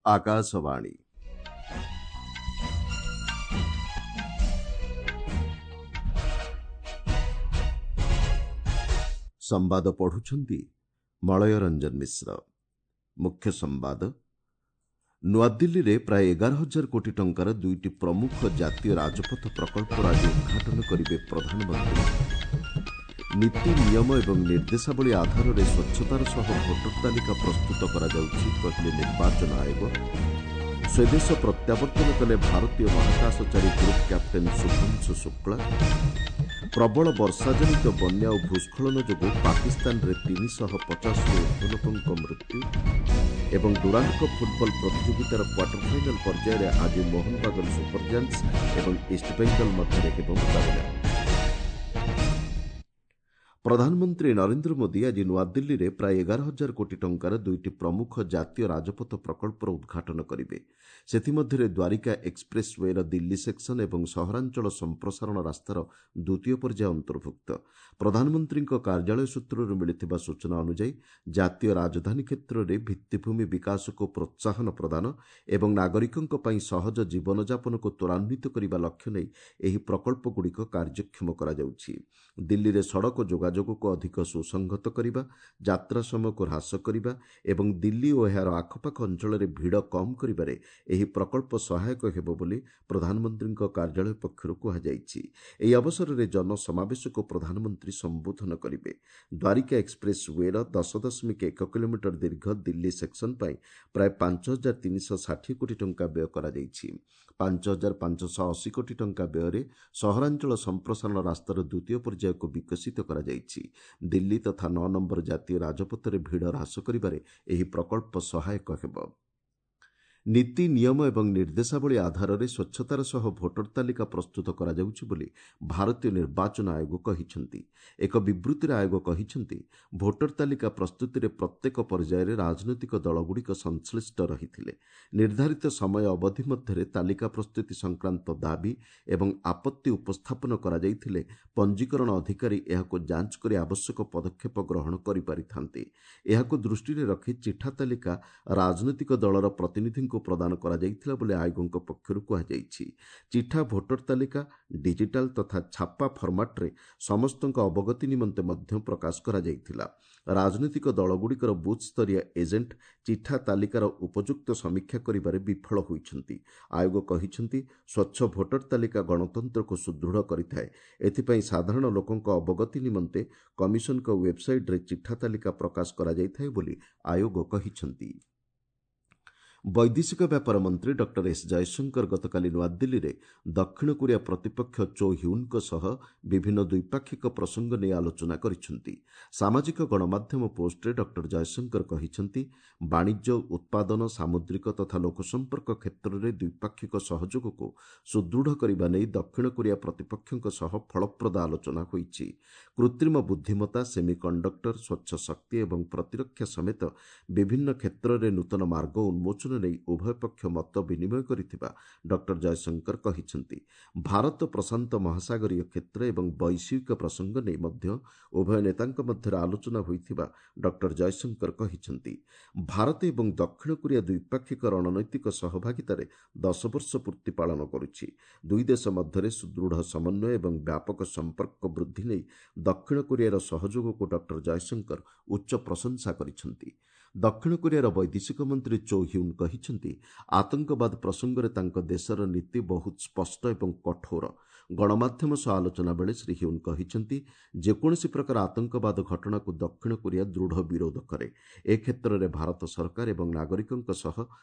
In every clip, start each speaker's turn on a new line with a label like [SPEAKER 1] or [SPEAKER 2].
[SPEAKER 1] ଆକାଶବାଣୀ। ସମ୍ବାଦ ପଢୁଛନ୍ତି ମଳୟ ରଞ୍ଜନ ମିଶ୍ର। ମୁଖ୍ୟ ସମ୍ବାଦ। ନୂଆଦିଲ୍ଲୀରେ ପ୍ରାୟ 11,000 କୋଟି ଟଙ୍କାର ଦୁଇଟି ପ୍ରମୁଖ ଜାତୀୟ ରାଜପଥ ପ୍ରକଳ୍ପର ଆଜି ଉଦ୍ଘାଟନ କରିବେ ପ୍ରଧାନମନ୍ତ୍ରୀ। ନୀତି ନିୟମ ଏବଂ ନିର୍ଦ୍ଦେଶାବଳୀ ଆଧାରରେ ସ୍ୱଚ୍ଛତାର ସହ ଭୋଟର ତାଲିକା ପ୍ରସ୍ତୁତ କରାଯାଉଛି, କହିଲେ ନିର୍ବାଚନ ଆୟୋଗ। ସ୍ୱଦେଶ ପ୍ରତ୍ୟାବର୍ତ୍ତନ କଲେ ଭାରତୀୟ ମହାକାଶଚାରୀ ଗ୍ରୁପ୍ କ୍ୟାପ୍ଟେନ୍ ଶୁଭ୍ରାଂଶୁ ଶୁକ୍ଳା। ପ୍ରବଳ ବର୍ଷାଜନିତ ବନ୍ୟା ଓ ଭୂସ୍ଖଳନ ଯୋଗୁଁ ପାକିସ୍ତାନରେ 350ରୁ ଉର୍ଦ୍ଧ୍ୱ ଲୋକଙ୍କ ମୃତ୍ୟୁ। ଏବଂ ଡୁରାଣ୍ଡ କପ୍ ଫୁଟବଲ ପ୍ରତିଯୋଗିତାର କ୍ୱାର୍ଟର ଫାଇନାଲ ପର୍ଯ୍ୟାୟରେ ଆଜି ମୋହନବାଗାନ ସୁପର ଜାଏଣ୍ଟସ୍ ଏବଂ ଇଷ୍ଟବେଙ୍ଗଲ ମଧ୍ୟରେ ହେବ ମୁକାବିଲା। ପ୍ରଧାନମନ୍ତ୍ରୀ ନରେନ୍ଦ୍ର ମୋଦି ଆଜି ନୂଆଦିଲ୍ଲୀରେ ପ୍ରାୟ 11,000 କୋଟି ଟଙ୍କାର ଦୁଇଟି ପ୍ରମୁଖ ଜାତୀୟ ରାଜପଥ ପ୍ରକଳ୍ପର ଉଦ୍ଘାଟନ କରିବେ। ସେଥିମଧ୍ୟରେ Dwarka expressway Delhi section ଏବଂ ସହରାଞ୍ଚଳ ସମ୍ପ୍ରସାରଣ ରାସ୍ତାର ଦ୍ୱିତୀୟ ପର୍ଯ୍ୟାୟ ଅନ୍ତର୍ଭୁକ୍ତ। ପ୍ରଧାନମନ୍ତ୍ରୀଙ୍କ କାର୍ଯ୍ୟାଳୟ ସୂତ୍ରରୁ ମିଳିଥିବା ସୂଚନା ଅନୁଯାୟୀ, ଜାତୀୟ ରାଜଧାନୀ କ୍ଷେତ୍ରରେ ଭିତ୍ତିଭୂମି ବିକାଶକୁ ପ୍ରୋତ୍ସାହନ ପ୍ରଦାନ ଏବଂ ନାଗରିକଙ୍କ ପାଇଁ ସହଜ ଜୀବନଯାପନକୁ ତ୍ୱରାନ୍ୱିତ କରିବା ଲକ୍ଷ୍ୟ ନେଇ ଏହି ପ୍ରକଳ୍ପଗୁଡ଼ିକ କାର୍ଯ୍ୟକ୍ଷମ କରାଯାଉଛି। ଦିଲ୍ଲୀରେ ସଡ଼କ ଯୋଗାଯୋଗକୁ ଅଧିକ ସୁସଂହତ କରିବା, ଯାତ୍ରା ସମୟକୁ ହ୍ରାସ କରିବା ଏବଂ ଦିଲ୍ଲୀ ଓ ଏହାର ଆଖପାଖ ଅଞ୍ଚଳରେ ଭିଡ଼ କମ୍ କରିବାରେ ଏହି ପ୍ରକଳ୍ପ ସହାୟକ ହେବ ବୋଲି ପ୍ରଧାନମନ୍ତ୍ରୀଙ୍କ କାର୍ଯ୍ୟାଳୟ ପକ୍ଷରୁ କୁହାଯାଇଛି। ଏହି ଅବସରରେ ଜନସମାବେଶକୁ ପ୍ରଧାନମନ୍ତ୍ରୀ ସମ୍ବୋଧନ କରିବେ। ଦ୍ୱାରିକା ଏକ୍ସପ୍ରେସ୍ ୱେର 10.1 କିଲୋମିଟର ଦୀର୍ଘ ଦିଲ୍ଲୀ ସେକ୍ସନ ପାଇଁ ପ୍ରାୟ 5,360 କୋଟି ଟଙ୍କା ବ୍ୟୟ କରାଯାଇଛି। 5,580 କୋଟି ଟଙ୍କା ବ୍ୟୟରେ ସହରାଞ୍ଚଳ ସମ୍ପ୍ରସାରଣ ରାସ୍ତାର ଦ୍ୱିତୀୟ ପର୍ଯ୍ୟାୟକୁ ବିକଶିତ କରାଯାଇଛି। ଦିଲ୍ଲୀ ତଥା 9 ନମ୍ବର ଜାତୀୟ ରାଜପଥରେ ଭିଡ଼ ହ୍ରାସ କରିବାରେ ଏହି ପ୍ରକଳ୍ପ ସହାୟକ ହେବ। ନୀତି ନିୟମ ଏବଂ ନିର୍ଦ୍ଦେଶାବଳୀ ଆଧାରରେ ସ୍ୱଚ୍ଛତାର ସହ ଭୋଟର ତାଲିକା ପ୍ରସ୍ତୁତ କରାଯାଉଛି ବୋଲି ଭାରତୀୟ ନିର୍ବାଚନ ଆୟୋଗ କହିଛନ୍ତି। ଏକ ବିବୃତ୍ତିରେ ଆୟୋଗ କହିଛନ୍ତି, ଭୋଟର ତାଲିକା ପ୍ରସ୍ତୁତିରେ ପ୍ରତ୍ୟେକ ପର୍ଯ୍ୟାୟରେ ରାଜନୈତିକ ଦଳଗୁଡ଼ିକ ସଂଶ୍ଳିଷ୍ଟ ରହିଥିଲେ। ନିର୍ଦ୍ଧାରିତ ସମୟ ଅବଧି ମଧ୍ୟରେ ତାଲିକା ପ୍ରସ୍ତୁତି ସଂକ୍ରାନ୍ତ ଦାବି ଏବଂ ଆପତ୍ତି ଉପସ୍ଥାପନ କରାଯାଇଥିଲେ ପଞ୍ଜୀକରଣ ଅଧିକାରୀ ଏହାକୁ ଯାଞ୍ଚ କରି ଆବଶ୍ୟକ ପଦକ୍ଷେପ ଗ୍ରହଣ କରିପାରିଥାନ୍ତେ। ଏହାକୁ ଦୃଷ୍ଟିରେ ରଖି ଚିଠା ତାଲିକା ରାଜନୈତିକ ଦଳର ପ୍ରତିନିଧିଙ୍କୁ ପ୍ରଦାନ କରାଯାଇଥିଲା ବୋଲି ଆୟୋଗଙ୍କ ପକ୍ଷରୁ କୁହାଯାଇଛି। ଚିଠା ଭୋଟର ତାଲିକା ଡିଜିଟାଲ ତଥା ଛାପା ଫର୍ମାଟ୍ରେ ସମସ୍ତଙ୍କ ଅବଗତି ନିମନ୍ତେ ମଧ୍ୟ ପ୍ରକାଶ କରାଯାଇଥିଲା। ରାଜନୈତିକ ଦଳଗୁଡ଼ିକର ବୁଥ୍ ସ୍ତରୀୟ ଏଜେଣ୍ଟ ଚିଠା ତାଲିକାର ଉପଯୁକ୍ତ ସମୀକ୍ଷା କରିବାରେ ବିଫଳ ହୋଇଛନ୍ତି। ଆୟୋଗ କହିଛନ୍ତି, ସ୍ୱଚ୍ଛ ଭୋଟର ତାଲିକା ଗଣତନ୍ତ୍ରକୁ ସୁଦୃଢ଼ କରିଥାଏ। ଏଥିପାଇଁ ସାଧାରଣ ଲୋକଙ୍କ ଅବଗତି ନିମନ୍ତେ କମିଶନଙ୍କ ୱେବ୍ସାଇଟ୍ରେ ଚିଠା ତାଲିକା ପ୍ରକାଶ କରାଯାଇଥାଏ ବୋଲି ଆୟୋଗ କହିଛନ୍ତି। ବୈଦେଶିକ ବ୍ୟାପାର ମନ୍ତ୍ରୀ ଡକ୍ଟର ଏସ୍ ଜୟଶଙ୍କର ଗତକାଲି ନୂଆଦିଲ୍ଲୀରେ ଦକ୍ଷିଣ କୋରିଆ ପ୍ରତିପକ୍ଷ ଚୋ ହ୍ୟୁନ୍ଙ୍କ ସହ ବିଭିନ୍ନ ଦ୍ୱିପାକ୍ଷିକ ପ୍ରସଙ୍ଗ ନେଇ ଆଲୋଚନା କରିଛନ୍ତି। ସାମାଜିକ ଗଣମାଧ୍ୟମ ପୋଷ୍ଟରେ ଡକ୍ଟର ଜୟଶଙ୍କର କହିଛନ୍ତି, ବାଣିଜ୍ୟ, ଉତ୍ପାଦନ, ସାମୁଦ୍ରିକ ତଥା ଲୋକସମ୍ପର୍କ କ୍ଷେତ୍ରରେ ଦ୍ୱିପାକ୍ଷିକ ସହଯୋଗକୁ ସୁଦୃଢ଼ କରିବା ନେଇ ଦକ୍ଷିଣ କୋରିଆ ପ୍ରତିପକ୍ଷଙ୍କ ସହ ଫଳପ୍ରଦ ଆଲୋଚନା ହୋଇଛି। କୃତ୍ରିମ ବୁଦ୍ଧିମତ୍ତା, ସେମି କଣ୍ଡକ୍ଟର, ସ୍ୱଚ୍ଛ ଶକ୍ତି ଏବଂ ପ୍ରତିରକ୍ଷା ସମେତ ବିଭିନ୍ନ କ୍ଷେତ୍ରରେ ନୂତନ ମାର୍ଗ ଉନ୍ମୋଚନ ନେଇ ଉଭୟ ପକ୍ଷ ମତ ବିନିମୟ କରିଥିବା ଡକ୍ଟର ଜୟଶଙ୍କର କହିଛନ୍ତି। ଭାରତ ପ୍ରଶାନ୍ତ ମହାସାଗରୀୟ କ୍ଷେତ୍ର ଏବଂ ବୈଶ୍ୱିକ ପ୍ରସଙ୍ଗ ନେଇ ମଧ୍ୟ ଉଭୟ ନେତାଙ୍କ ମଧ୍ୟରେ ଆଲୋଚନା ହୋଇଥିବା ଡକ୍ଟର ଜୟଶଙ୍କର କହିଛନ୍ତି। ଭାରତ ଏବଂ ଦକ୍ଷିଣ କୋରିଆ ଦ୍ୱିପାକ୍ଷିକ ରଣନୈତିକ ସହଭାଗିତାରେ 10 ବର୍ଷ ପୂର୍ତ୍ତି ପାଳନ କରୁଛି। ଦୁଇ ଦେଶ ମଧ୍ୟରେ ସୁଦୃଢ଼ ସମନ୍ୱୟ ଏବଂ ବ୍ୟାପକ ସମ୍ପର୍କ ବୃଦ୍ଧି ନେଇ ଦକ୍ଷିଣ କୋରିଆର ସହଯୋଗକୁ ଡକ୍ଟର ଜୟଶଙ୍କର ଉଚ୍ଚ ପ୍ରଶଂସା କରିଛନ୍ତି। ଦକ୍ଷିଣ କୋରିଆର ବୈଦେଶିକ ମନ୍ତ୍ରୀ ଚୋ ହ୍ୟୁନ୍ କହିଛନ୍ତି, ଆତଙ୍କବାଦ ପ୍ରସଙ୍ଗରେ ତାଙ୍କ ଦେଶର ନୀତି ବହୁତ ସ୍ପଷ୍ଟ ଏବଂ କଠୋର। ଗଣମାଧ୍ୟମ ସହ ଆଲୋଚନା ବେଳେ ଶ୍ରୀ ହ୍ୟୁନ୍ କହିଛନ୍ତି, ଯେକୌଣସି ପ୍ରକାର ଆତଙ୍କବାଦ ଘଟଣାକୁ ଦକ୍ଷିଣ କୋରିଆ ଦୃଢ଼ ବିରୋଧ କରେ। ଏ କ୍ଷେତ୍ରରେ ଭାରତ ସରକାର ଏବଂ ନାଗରିକଙ୍କ ସହ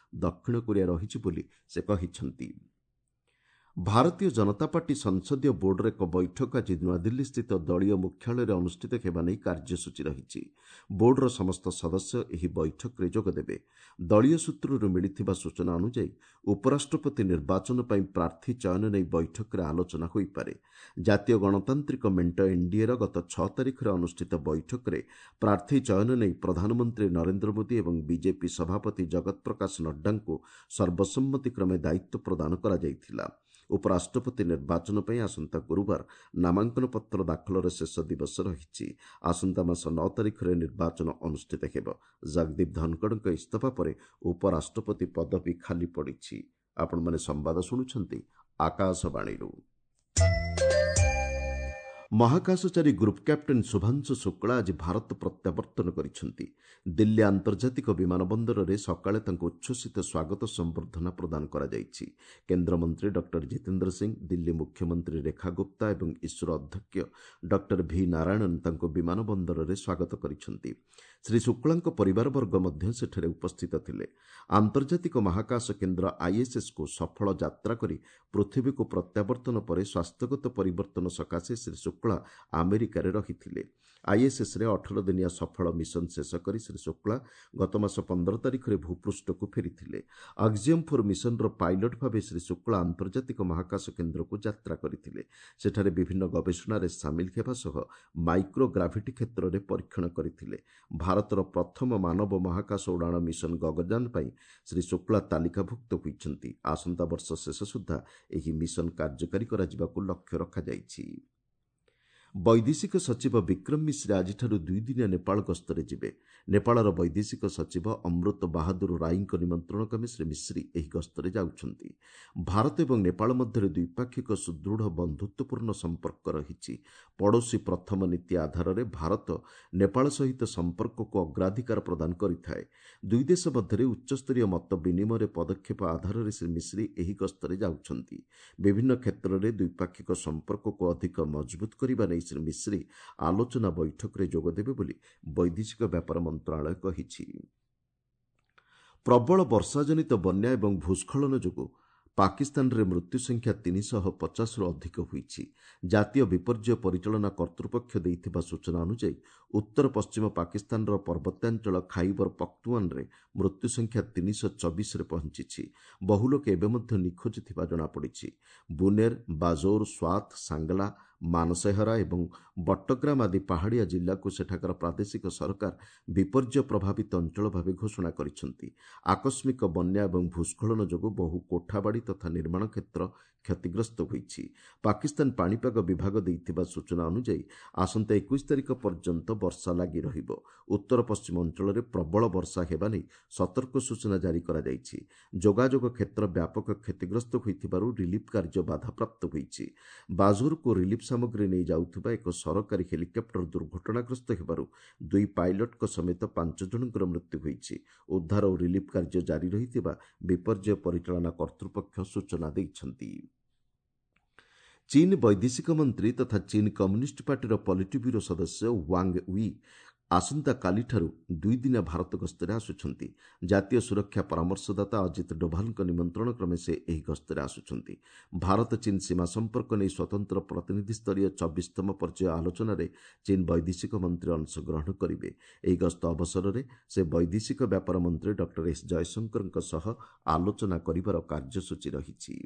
[SPEAKER 1] ଦକ୍ଷିଣ କୋରିଆ ରହିଛି ବୋଲି ସେ କହିଛନ୍ତି। ଭାରତୀୟ ଜନତା ପାର୍ଟି ସଂସଦୀୟ ବୋର୍ଡର ଏକ ବୈଠକ ଆଜି ନୂଆଦିଲ୍ଲୀସ୍ଥିତ ଦଳୀୟ ମୁଖ୍ୟାଳୟରେ ଅନୁଷ୍ଠିତ ହେବା ନେଇ କାର୍ଯ୍ୟସୂଚୀ ରହିଛି। ବୋର୍ଡର ସମସ୍ତ ସଦସ୍ୟ ଏହି ବୈଠକରେ ଯୋଗଦେବେ। ଦଳୀୟ ସୂତ୍ରରୁ ମିଳିଥିବା ସୂଚନା ଅନୁଯାୟୀ, ଉପରାଷ୍ଟ୍ରପତି ନିର୍ବାଚନ ପାଇଁ ପ୍ରାର୍ଥୀ ଚୟନ ନେଇ ବୈଠକରେ ଆଲୋଚନା ହୋଇପାରେ। ଜାତୀୟ ଗଣତାନ୍ତ୍ରିକ ମେଣ୍ଟ ଏନ୍ଡିଏର ଗତ 6 ତାରିଖରେ ଅନୁଷ୍ଠିତ ବୈଠକରେ ପ୍ରାର୍ଥୀ ଚୟନ ନେଇ ପ୍ରଧାନମନ୍ତ୍ରୀ ନରେନ୍ଦ୍ର ମୋଦି ଏବଂ ବିଜେପି ସଭାପତି ଜଗତ ପ୍ରକାଶ ନଡ୍ଡାଙ୍କୁ ସର୍ବସମ୍ମତିକ୍ରମେ ଦାୟିତ୍ୱ ପ୍ରଦାନ କରାଯାଇଥିଲା। ଉପରାଷ୍ଟ୍ରପତି ନିର୍ବାଚନ ପାଇଁ ଆସନ୍ତା ଗୁରୁବାର ନାମାଙ୍କନପତ୍ର ଦାଖଲର ଶେଷ ଦିବସ ରହିଛି। ଆସନ୍ତା ମାସ 9 ତାରିଖରେ ନିର୍ବାଚନ ଅନୁଷ୍ଠିତ ହେବ। ଜଗଦୀପ ଧନଖଡ଼ଙ୍କ ଇସ୍ତଫା ପରେ ଉପରାଷ୍ଟ୍ରପତି ପଦବୀ ଖାଲି ପଡ଼ିଛି। ଆପଣମାନେ ସମ୍ବାଦ ଶୁଣୁଛନ୍ତି ଆକାଶବାଣୀରୁ। ମହାକାଶଚାରୀ ଗ୍ରୁପ୍ କ୍ୟାପ୍ଟେନ୍ ଶୁଭାଂଶୁ ଶୁକ୍ଳା ଆଜି ଭାରତ ପ୍ରତ୍ୟାବର୍ତ୍ତନ କରିଛନ୍ତି। ଦିଲ୍ଲୀ ଆନ୍ତର୍ଜାତିକ ବିମାନ ବନ୍ଦରରେ ସକାଳେ ତାଙ୍କୁ ଉଚ୍ଛ୍ୱସିତ ସ୍ୱାଗତ ସମ୍ବର୍ଦ୍ଧନା ପ୍ରଦାନ କରାଯାଇଛି। କେନ୍ଦ୍ରମନ୍ତ୍ରୀ ଡକ୍ଟର ଜିତେନ୍ଦ୍ର ସିଂ, ଦିଲ୍ଲୀ ମୁଖ୍ୟମନ୍ତ୍ରୀ ରେଖା ଗୁପ୍ତା ଏବଂ ଇସ୍ରୋ ଅଧ୍ୟକ୍ଷ ଡକ୍ଟର ଭି ନାରାୟଣନ ତାଙ୍କୁ ବିମାନ ବନ୍ଦରରେ ସ୍ୱାଗତ କରିଛନ୍ତି। ଶ୍ରୀ ଶୁକ୍ଳାଙ୍କ ପରିବାରବର୍ଗ ମଧ୍ୟ ସେଠାରେ ଉପସ୍ଥିତ ଥିଲେ। ଆନ୍ତର୍ଜାତିକ ମହାକାଶ କେନ୍ଦ୍ର ଆଇଏସ୍ଏସ୍କୁ ସଫଳ ଯାତ୍ରା କରି ପୃଥିବୀକୁ ପ୍ରତ୍ୟାବର୍ତ୍ତନ ପରେ ସ୍ୱାସ୍ଥ୍ୟଗତ ପରିବର୍ତ୍ତନ ସକାଶେ ଶ୍ରୀ ଶୁକ୍ଳା ଆମେରିକାରେ ରହିଥିଲେ। ଆଇଏସ୍ଏସ୍ରେ 18 ଦିନିଆ ସଫଳ ମିଶନ ଶେଷ କରି ଶ୍ରୀ ଶୁକ୍ଳା ଗତମାସ 15 ତାରିଖରେ ଭୂପୃଷ୍ଠକୁ ଫେରିଥିଲେ। ଆକ୍ସିୟମ୍ 4 ମିଶନର ପାଇଲଟ୍ ଭାବେ ଶ୍ରୀ ଶୁକ୍ଳା ଆନ୍ତର୍ଜାତିକ ମହାକାଶ କେନ୍ଦ୍ରକୁ ଯାତ୍ରା କରିଥିଲେ। ସେଠାରେ ବିଭିନ୍ନ ଗବେଷଣାରେ ସାମିଲ ହେବା ସହ ମାଇକ୍ରୋ ଗ୍ରାଭିଟି କ୍ଷେତ୍ରରେ ପରୀକ୍ଷଣ କରିଥିଲେ। ଭାରତର ପ୍ରଥମ ମାନବ ମହାକାଶ ଉଡ଼ାଣ ମିଶନ ଗଗନଯାନ ପାଇଁ ଶ୍ରୀ ଶୁକ୍ଳା ତାଲିକାଭୁକ୍ତ ହୋଇଛନ୍ତି। ଆସନ୍ତା ବର୍ଷ ଶେଷ ସୁଦ୍ଧା ଏହି ମିଶନ କାର୍ଯ୍ୟକାରୀ କରାଯିବାକୁ ଲକ୍ଷ୍ୟ ରଖାଯାଇଛି। ବୈଦେଶିକ ସଚିବ ବିକ୍ରମ ମିଶ୍ରି ଆଜିଠାରୁ ଦୁଇଦିନିଆ ନେପାଳ ଗସ୍ତରେ ଯିବେ। ନେପାଳର ବୈଦେଶିକ ସଚିବ ଅମୃତ ବାହାଦୁର ରାଇଙ୍କ ନିମନ୍ତ୍ରଣ କ୍ରମେ ଶ୍ରୀ ମିଶ୍ରି ଏହି ଗସ୍ତରେ ଯାଉଛନ୍ତି। ଭାରତ ଏବଂ ନେପାଳ ମଧ୍ୟରେ ଦ୍ୱିପାକ୍ଷିକ ସୁଦୃଢ଼ ବନ୍ଧୁତ୍ୱପୂର୍ଣ୍ଣ ସମ୍ପର୍କ ରହିଛି। ପଡ଼ୋଶୀ ପ୍ରଥମ ନୀତି ଆଧାରରେ ଭାରତ ନେପାଳ ସହିତ ସମ୍ପର୍କକୁ ଅଗ୍ରାଧିକାର ପ୍ରଦାନ କରିଥାଏ। ଦୁଇ ଦେଶ ମଧ୍ୟରେ ଉଚ୍ଚସ୍ତରୀୟ ମତ ବିନିମୟରେ ପଦକ୍ଷେପ ଆଧାରରେ ଶ୍ରୀ ମିଶ୍ରି ଏହି ଗସ୍ତରେ ଯାଉଛନ୍ତି। ବିଭିନ୍ନ କ୍ଷେତ୍ରରେ ଦ୍ୱିପାକ୍ଷିକ ସମ୍ପର୍କକୁ ଅଧିକ ମଜବୁତ କରିବା ନେଇ ଶ୍ରୀ ମିଶ୍ରି ଆଲୋଚନା ବୈଠକରେ ଯୋଗଦେବେ ବୋଲି ବୈଦେଶିକ ବ୍ୟାପାର ମନ୍ତ୍ରଣାଳୟ କହିଛି। ପ୍ରବଳ ବର୍ଷାଜନିତ ବନ୍ୟା ଏବଂ ଭୂସ୍ଖଳନ ଯୋଗୁଁ ପାକିସ୍ତାନରେ ମୃତ୍ୟୁ ସଂଖ୍ୟା 350ରୁ ଅଧିକ ହୋଇଛି। ଜାତୀୟ ବିପର୍ଯ୍ୟୟ ପରିଚାଳନା କର୍ତ୍ତୃପକ୍ଷ ଦେଇଥିବା ସୂଚନା ଅନୁଯାୟୀ ଉତ୍ତର ପଶ୍ଚିମ ପାକିସ୍ତାନର ପର୍ବତ୍ୟାଞ୍ଚଳ ଖାଇବର ପଖ୍ତୁଆନରେ ମୃତ୍ୟୁ ସଂଖ୍ୟା 324ରେ ପହଞ୍ଚିଛି। ବହୁ ଲୋକ ଏବେ ମଧ୍ୟ ନିଖୋଜ ଥିବା ଜଣାପଡ଼ିଛି। ବୁନେର, ବାଜୌର, ସ୍ୱାତ, ସାଙ୍ଗଲା, ମାନସେହରା ଏବଂ ବଟ୍ଟଗ୍ରାମ ଆଦି ପାହାଡ଼ିଆ ଜିଲ୍ଲାକୁ ସେଠାକାର ପ୍ରାଦେଶିକ ସରକାର ବିପର୍ଯ୍ୟୟ ପ୍ରଭାବିତ ଅଞ୍ଚଳ ଭାବେ ଘୋଷଣା କରିଛନ୍ତି। ଆକସ୍ମିକ ବନ୍ୟା ଏବଂ ଭୂସ୍ଖଳନ ଯୋଗୁଁ ବହୁ କୋଠାବାଡ଼ି ତଥା ନିର୍ମାଣ କ୍ଷେତ୍ର କ୍ଷତିଗ୍ରସ୍ତ ହୋଇଛି। ପାକିସ୍ତାନ ପାଣିପାଗ ବିଭାଗ ଦେଇଥିବା ସୂଚନା ଅନୁଯାୟୀ ଆସନ୍ତା 21 ତାରିଖ ପର୍ଯ୍ୟନ୍ତ ବର୍ଷା ଲାଗି ରହିବ। ଉତ୍ତର ପଶ୍ଚିମ ଅଞ୍ଚଳରେ ପ୍ରବଳ ବର୍ଷା ହେବା ନେଇ ସତର୍କ ସୂଚନା ଜାରି କରାଯାଇଛି। ଯୋଗାଯୋଗ କ୍ଷେତ୍ର ବ୍ୟାପକ କ୍ଷତିଗ୍ରସ୍ତ ହୋଇଥିବାରୁ ରିଲିଫ୍ କାର୍ଯ୍ୟ ବାଧାପ୍ରାପ୍ତ ହୋଇଛି। ବାଜୋରକୁ ରିଲିଫ୍ ସାମଗ୍ରୀ ନେଇ ଯାଉଥିବା ଏକ ସରକାରୀ ହେଲିକପ୍ଟର ଦୁର୍ଘଟଣାଗ୍ରସ୍ତ ହେବାରୁ 2 ପାଇଲଟଙ୍କ ସମେତ 5 ଜଣଙ୍କର ମୃତ୍ୟୁ ହୋଇଛି। ଉଦ୍ଧାର ଓ ରିଲିଫ୍ କାର୍ଯ୍ୟ ଜାରି ରହିଥିବା ବିପର୍ଯ୍ୟୟ ପରିଚାଳନା କର୍ତ୍ତୃପକ୍ଷ ସୂଚନା ଦେଇଛନ୍ତି। ଚୀନ୍ ବୈଦେଶିକ ମନ୍ତ୍ରୀ ତଥା ଚୀନ୍ କମ୍ୟୁନିଷ୍ଟ ପାର୍ଟିର ପଲିଟି ବ୍ୟୁରୋ ସଦସ୍ୟ ୱାଙ୍ଗ we ଆସନ୍ତାକାଲିଠାରୁ ଦୁଇଦିନିଆ ଭାରତ ଗସ୍ତରେ ଆସୁଛନ୍ତି। ଜାତୀୟ ସୁରକ୍ଷା ପରାମର୍ଶଦାତା ଅଜିତ ଡୋଭାଲଙ୍କ ନିମନ୍ତ୍ରଣ କ୍ରମେ ସେ ଏହି ଗସ୍ତରେ ଆସୁଛନ୍ତି। ଭାରତ ଚୀନ୍ ସୀମା ସମ୍ପର୍କ ନେଇ ସ୍ୱତନ୍ତ୍ର ପ୍ରତିନିଧିସ୍ତରୀୟ 24ତମ ପର୍ଯ୍ୟାୟ ଆଲୋଚନାରେ ଚୀନ୍ ବୈଦେଶିକ ମନ୍ତ୍ରୀ ଅଂଶଗ୍ରହଣ କରିବେ। ଏହି ଗସ୍ତ ଅବସରରେ ସେ ବୈଦେଶିକ ବ୍ୟାପାର ମନ୍ତ୍ରୀ ଡକ୍ଟର ଏସ୍ ଜୟଶଙ୍କରଙ୍କ ସହ ଆଲୋଚନା କରିବାର କାର୍ଯ୍ୟସୂଚୀ ରହିଛି।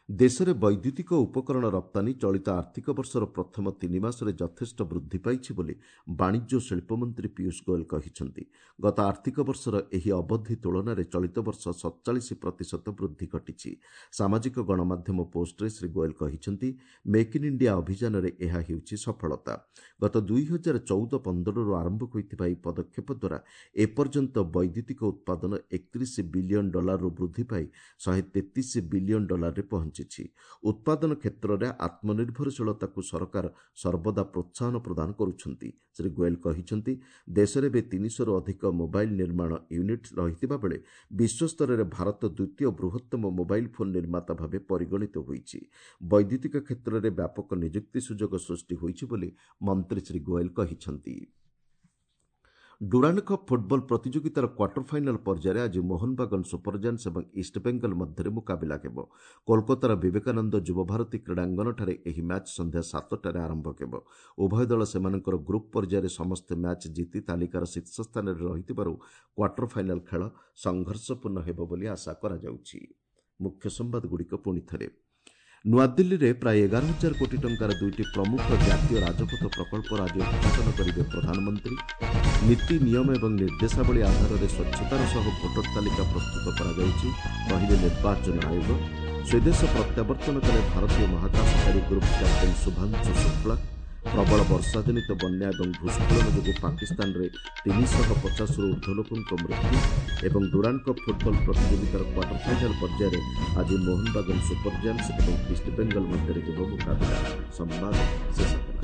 [SPEAKER 1] ଦେଶରେ ବୈଦ୍ୟୁତିକ ଉପକରଣ ରପ୍ତାନୀ ଚଳିତ ଆର୍ଥିକ ବର୍ଷର ପ୍ରଥମ 3 ମାସରେ ଯଥେଷ୍ଟ ବୃଦ୍ଧି ପାଇଛି ବୋଲି ବାଣିଜ୍ୟ ଓ ଶିଳ୍ପମନ୍ତ୍ରୀ ପୀୟୁଷ ଗୋଏଲ କହିଛନ୍ତି। ଗତ ଆର୍ଥିକ ବର୍ଷର ଏହି ଅବଧି ତୁଳନାରେ ଚଳିତ ବର୍ଷ 47% ବୃଦ୍ଧି ଘଟିଛି। ସାମାଜିକ ଗଣମାଧ୍ୟମ ପୋଷ୍ଟରେ ଶ୍ରୀ ଗୋଏଲ କହିଛନ୍ତି, ମେକ୍ ଇନ୍ ଇଣ୍ଡିଆ ଅଭିଯାନରେ ଏହା ହେଉଛି ସଫଳତା। ଗତ 2014-15ରୁ ଆରମ୍ଭ ହୋଇଥିବା ଏହି ପଦକ୍ଷେପ ଦ୍ୱାରା ଏପର୍ଯ୍ୟନ୍ତ ବୈଦ୍ୟୁତିକ ଉତ୍ପାଦନ $31 ବିଲିୟନ ବୃଦ୍ଧି ପାଇ $133 ବିଲିୟନ ପହଞ୍ଚିଛି। ଉତ୍ପାଦନ କ୍ଷେତ୍ରରେ ଆତ୍ମନିର୍ଭରଶୀଳତାକୁ ସରକାର ସର୍ବଦା ପ୍ରୋତ୍ସାହନ ପ୍ରଦାନ କରୁଛନ୍ତି। ଶ୍ରୀ ଗୋଏଲ କହିଛନ୍ତି, ଦେଶରେ ଏବେ 300ରୁ ଅଧିକ ମୋବାଇଲ ନିର୍ମାଣ ୟୁନିଟ୍ ରହିଥିବା ବେଳେ ବିଶ୍ୱସ୍ତରରେ ଭାରତ ଦ୍ୱିତୀୟ ବୃହତ୍ତମ ମୋବାଇଲ ଫୋନ୍ ନିର୍ମାତା ଭାବେ ପରିଗଣିତ ହୋଇଛି। ବୈଦ୍ୟୁତିକ କ୍ଷେତ୍ରରେ ବ୍ୟାପକ ନିଯୁକ୍ତି ସୁଯୋଗ ସୃଷ୍ଟି ହୋଇଛି ବୋଲି ମନ୍ତ୍ରୀ ଶ୍ରୀ ଗୋଏଲ କହିଛନ୍ତି। ଡୁରାଣ୍ଡ କପ୍ ଫୁଟବଲ ପ୍ରତିଯୋଗିତାର କ୍ୱାର୍ଟର ଫାଇନାଲ୍ ପର୍ଯ୍ୟାୟରେ ଆଜି ମୋହନବାଗନ ସୁପରଜାୟାଣ୍ଟସ୍ ଏବଂ ଇଷ୍ଟବେଙ୍ଗଲ ମଧ୍ୟରେ ମୁକାବିଲା ହେବ। କୋଲକାତାର ବିବେକାନନ୍ଦ ଯୁବଭାରତୀ କ୍ରୀଡ଼ାଙ୍ଗନଠାରେ ଏହି ମ୍ୟାଚ୍ ସନ୍ଧ୍ୟା 7ଟାରେ ଆରମ୍ଭ ହେବ। ଉଭୟ ଦଳ ସେମାନଙ୍କର ଗ୍ରୁପ୍ ପର୍ଯ୍ୟାୟରେ ସମସ୍ତ ମ୍ୟାଚ୍ ଜିତି ତାଲିକାର ଶୀର୍ଷ ସ୍ଥାନରେ ରହିଥିବାରୁ କ୍ୱାର୍ଟର ଫାଇନାଲ୍ ଖେଳ ସଂଘର୍ଷପୂର୍ଣ୍ଣ ହେବ ବୋଲି ଆଶା କରାଯାଉଛି। ମୁଖ୍ୟ ସମ୍ବାଦଗୁଡ଼ିକ ପୁଣି ଥରେ। ନୂଆଦିଲ୍ଲୀରେ ପ୍ରାୟ 11,000 କୋଟି ଟଙ୍କାର ଦୁଇଟି ପ୍ରମୁଖ ଜାତୀୟ ରାଜପଥ ପ୍ରକଳ୍ପର ଆଜି ଉଦ୍ଘାଟନ କରିବେ ପ୍ରଧାନମନ୍ତ୍ରୀ। ନୀତି ନିୟମ ଏବଂ ନିର୍ଦ୍ଦେଶାବଳୀ ଆଧାରରେ ସ୍ୱଚ୍ଛତାର ସହ ଭୋଟର ତାଲିକା ପ୍ରସ୍ତୁତ କରାଯାଉଛି, କହିଲେ ନିର୍ବାଚନ ଆୟୋଗ। ସ୍ୱଦେଶ ପ୍ରତ୍ୟାବର୍ତ୍ତନ କଲେ ଭାରତୀୟ ମହାକାଶଚାରୀ ଗ୍ରୁପ୍ କ୍ୟାପ୍ଟେନ୍ ଶୁଭାଂଶୁ ଶୁକ୍ଳା। ପ୍ରବଳ ବର୍ଷାଜନିତ ବନ୍ୟା ଏବଂ ଭୂସ୍ଖଳନ ଯୋଗୁଁ ପାକିସ୍ତାନରେ 350ରୁ ଉର୍ଦ୍ଧ୍ୱ ଲୋକଙ୍କ ମୃତ୍ୟୁ। ଏବଂ ଡୁରାଣ୍ଡ କପ୍ ଫୁଟବଲ ପ୍ରତିଯୋଗିତାର କ୍ୱାର୍ଟର ଫାଇନାଲ ପର୍ଯ୍ୟାୟରେ ଆଜି ମୋହନବାଗାନ ସୁପର ଜାଏଣ୍ଟସ୍ ଏବଂ ଇଷ୍ଟବେଙ୍ଗଲ ମଧ୍ୟରେ ହେବ ମୁକାବିଲା। ସମ୍ବାଦ ଶେଷ ହେଲା।